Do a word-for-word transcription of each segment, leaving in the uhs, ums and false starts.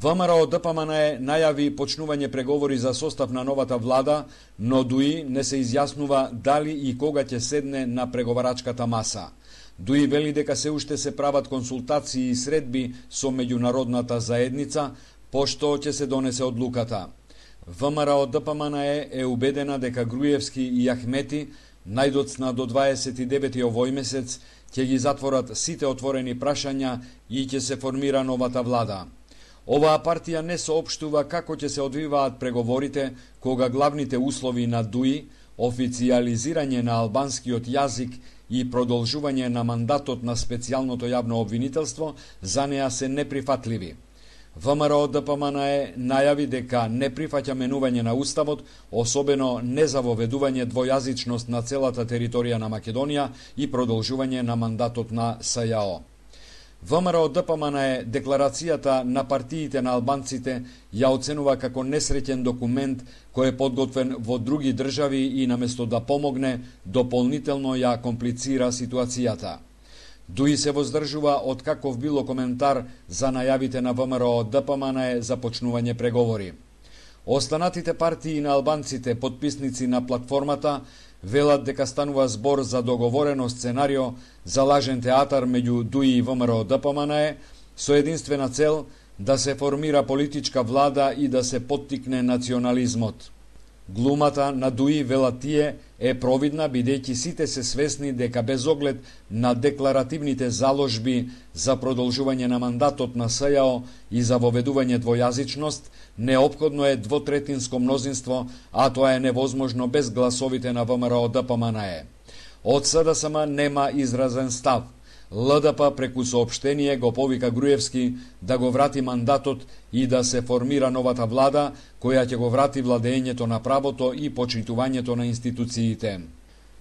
ВМРО Д П М Н Е најави почнување преговори за состав на новата влада, но ДУИ не се изјаснува дали и кога ќе седне на преговарачката маса. ДУИ вели дека се уште се прават консултации и средби со меѓународната заедница, пошто ќе се донесе одлуката. ВМРО Д П М Н Е е убедена дека Груевски и Ахмети најдоцна до дваесет и девети овој месец ќе ги затворат сите отворени прашања и ќе се формира новата влада. Оваа партија не соопштува како ќе се одвиваат преговорите, кога главните услови на ДУИ, официјализирање на албанскиот јазик и продолжување на мандатот на специјалното јавно обвинителство, за неа се неприфатливи. ВМРО Д П М Н Е најави дека не прифаќа менување на уставот, особено не за воведување двојазичност на целата територија на Македонија и продолжување на мандатот на С Ј О. ВМРО Д П М Н Е декларацијата на партиите на албанците ја оценува како несреќен документ кој е подготвен во други држави и наместо да помогне, дополнително ја комплицира ситуацијата. ДУИ се воздржува од каков било коментар за најавите на ВМРО Д П М Н Е за почнување преговори. Останатите партии на албанците, потписници на платформата, велат дека станува збор за договорено сценарио за лажен театар меѓу ДУИ и ВМРО Д П М Н Е со единствена цел да се формира политичка влада и да се поттикне национализмот. Глумата на ДУИ, велат тие, е провидна бидејќи сите се свесни дека без оглед на декларативните заложби за продолжување на мандатот на С Ј О и за воведување двојазичност, неопходно е двотретинско мнозинство, а тоа е невозможно без гласовите на ВМРО Д П М Н Е. Од С Д С М нема изразен став. Л Д П преку соопштение го повика Груевски да го врати мандатот и да се формира новата влада, која ќе го врати владењето на правото и почитувањето на институциите.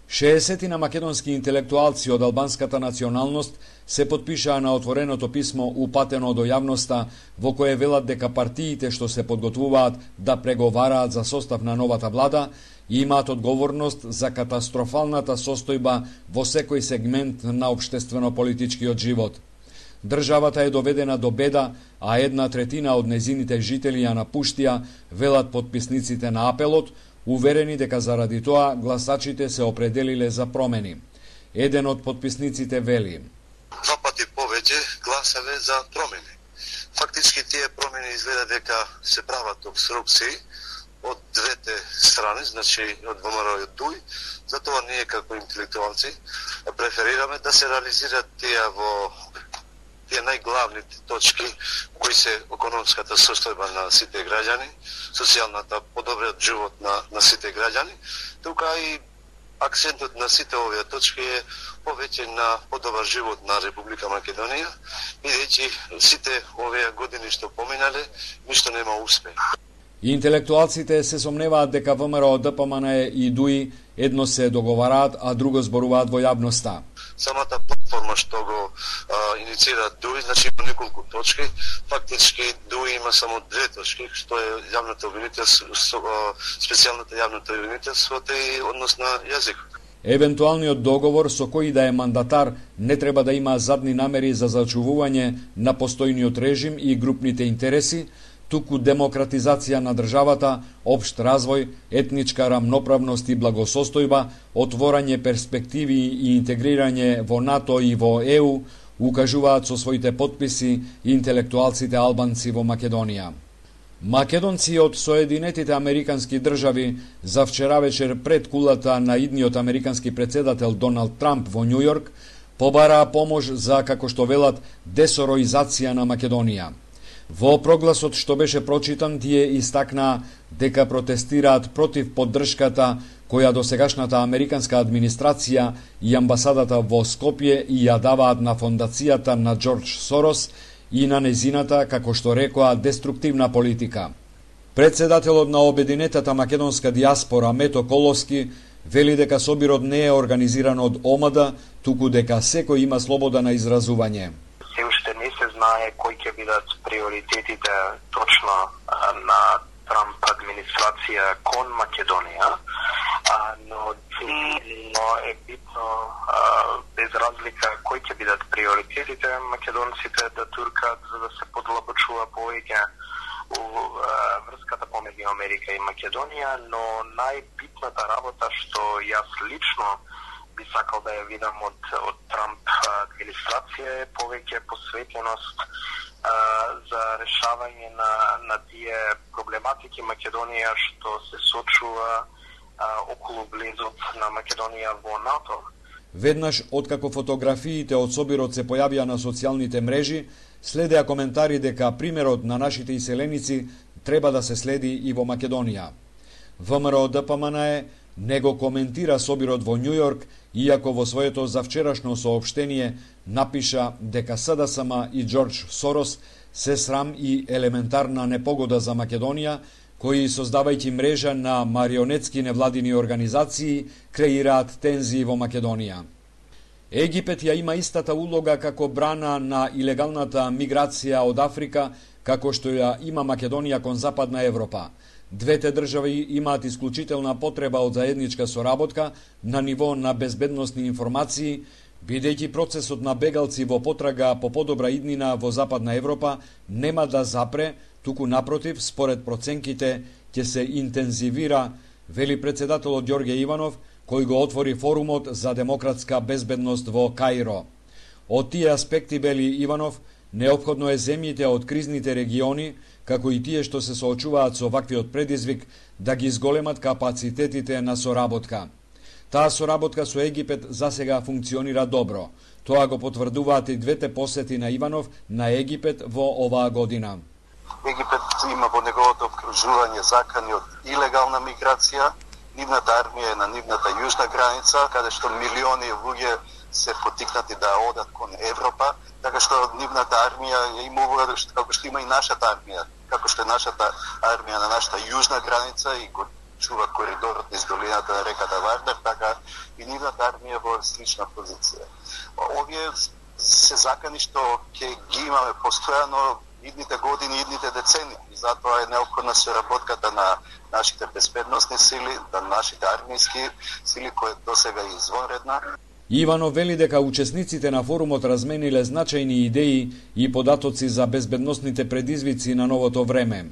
шеесет македонски интелектуалци од албанската националност се потпишаа на отвореното писмо упатено до јавноста, во кое велат дека партиите што се подготвуваат да преговараат за состав на новата влада имаат одговорност за катастрофалната состојба во секој сегмент на општествено-политичкиот живот. Државата е доведена до беда, а една третина од незините жители ја напуштија, велат потписниците на апелот, уверени дека заради тоа гласачите се определиле за промени. Еден од потписниците вели: Два пати повеќе гласале за промени. Фактички тие промени изгледа дека се прават обструкции од двете страни, значи од ВМРО и од ДУИ. Затоа ние како интелектуалци преферираме да се реализираат тие во тие најглавните точки кои се економската состојба на сите граѓани, социјалната подобриот живот на, на сите граѓани, тука и акцентот на сите овие точки е повеќе на подобар живот на Република Македонија, бидејќи сите овие години што поминале, ништо нема успех. Интелектуалците се сомневаат дека ВМРО Д П М Н Е и ДУИ едно се договараат, а друго зборуваат во јавноста. Самата платформа што го а, инициира ДУИ, значи има неколку точки. Фактички ДУИ има само две точки, што е јавното обвинителство, специјалната јавното обвинителство и однос на јазик. Евентуалниот договор со кој да е мандатар не треба да има задни намери за зачувување на постојниот режим и групните интереси, туку демократизација на државата, општ развој, етничка рамноправност и благосостојба, отворање перспективи и интегрирање во НАТО и во Е У, укажуваат со своите потписи интелектуалците албанци во Македонија. Македонци од Соединетите Американски држави за вчера вечер пред кулата на идниот американски претседател Доналд Трамп во Њу Јорк побараа помош за, како што велат, десороизација на Македонија. Во прогласот што беше прочитан, тие истакнаа дека протестираат против поддршката која досегашната американска администрација и амбасадата во Скопје и ја даваат на фондацијата на Џорџ Сорос и на незината, како што рекоа, деструктивна политика. Председателот на обединетата македонска диаспора Мето Коловски вели дека собирот не е организиран од О М Д, туку дека секој има слобода на изразување. Се уште не се знае кои ќе бидат приоритетите точно на Трамп администрација кон Македонија, но но е битно без разлика кои ќе бидат приоритетите македонците да туркат за да се подлабочува повеќе врската помеѓу Америка и Македонија, но најбитната работа што јас лично би сакал да ја видам од, од Трамп администрација е повеќе посветеност а, за решавање на, на тие проблематики Македонија што се сочува а, околу влезот на Македонија во НАТО. Веднаш откако фотографиите од собирот се појавија на социјалните мрежи, следеа коментари дека примерот на нашите иселеници треба да се следи и во Македонија. ВМРО Д П М Н Е не го коментира собирот во Њу Јорк, иако во своето завчерашно соопштение напиша дека С Д С М и Џорџ Сорос се срам и елементарна непогода за Македонија, кои, создавајќи мрежа на марионетски невладини организации, креираат тензии во Македонија. Египет ја има истата улога како брана на илегалната миграција од Африка, како што ја има Македонија кон Западна Европа. Двете држави имаат исклучителна потреба од заедничка соработка на ниво на безбедносни информации, бидејќи процесот на бегалци во потрага по подобра иднина во Западна Европа нема да запре, туку напротив, според проценките, ќе се интензивира, вели председателот Ѓорѓе Иванов, кој го отвори форумот за демократска безбедност во Каиро. Од тие аспекти, вели Иванов, неопходно е земјите од кризните региони, како и тие што се соочуваат со ваквиот предизвик, да ги изголемат капацитетите на соработка. Таа соработка со Египет засега функционира добро. Тоа го потврдуваат и двете посети на Иванов на Египет во оваа година. Египет има во неговото обкружување закани од илегална миграција. Нивната армија е на нивната јужна граница, каде што милиони луѓе се потикнати да одат кон Европа, така што нивната армија е имува, како што има и нашата армија, како што е нашата армија на нашата јужна граница и го чува коридорот низ долината на реката Вардар, така и нивната армија во слична позиција. Овие се закани што ќе ги имаме постојано идните години, идните децени. И затоа е неопходна соработката на нашите безбедносни сили, на нашите армијски сили, кои досега е извонредна. Иванов вели дека учесниците на форумот размениле значајни идеи и податоци за безбедносните предизвици на новото време.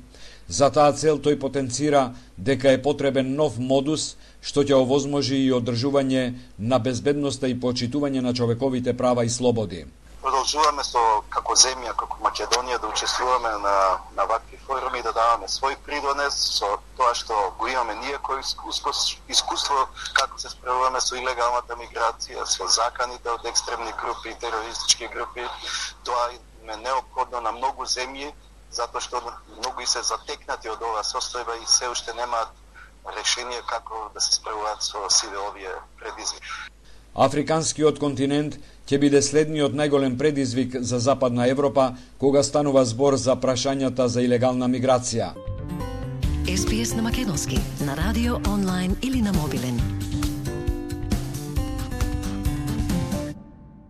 За таа цел тој потенцира дека е потребен нов модус што ќе овозможи и одржување на безбедноста и почитување на човековите права и слободи. Продолжуваме со како земја, како Македонија да учествуваме на на вакви форуми, да даваме свој придонес со тоа што го имаме ние кој искуство, искуство како се справуваме со илегалната миграција, со заканите од екстремни групи и терористички групи. Тоа е неопходно на многу земји, затоа што многу и се затекнати од оваа состојба и се уште немаат решение како да се справуваат со сите овие предизвици. Африканскиот континент ќе биде следниот најголем предизвик за Западна Европа кога станува збор за прашањата за илегална миграција. Ес Би Ес на македонски, на радио, онлайн или на мобилен.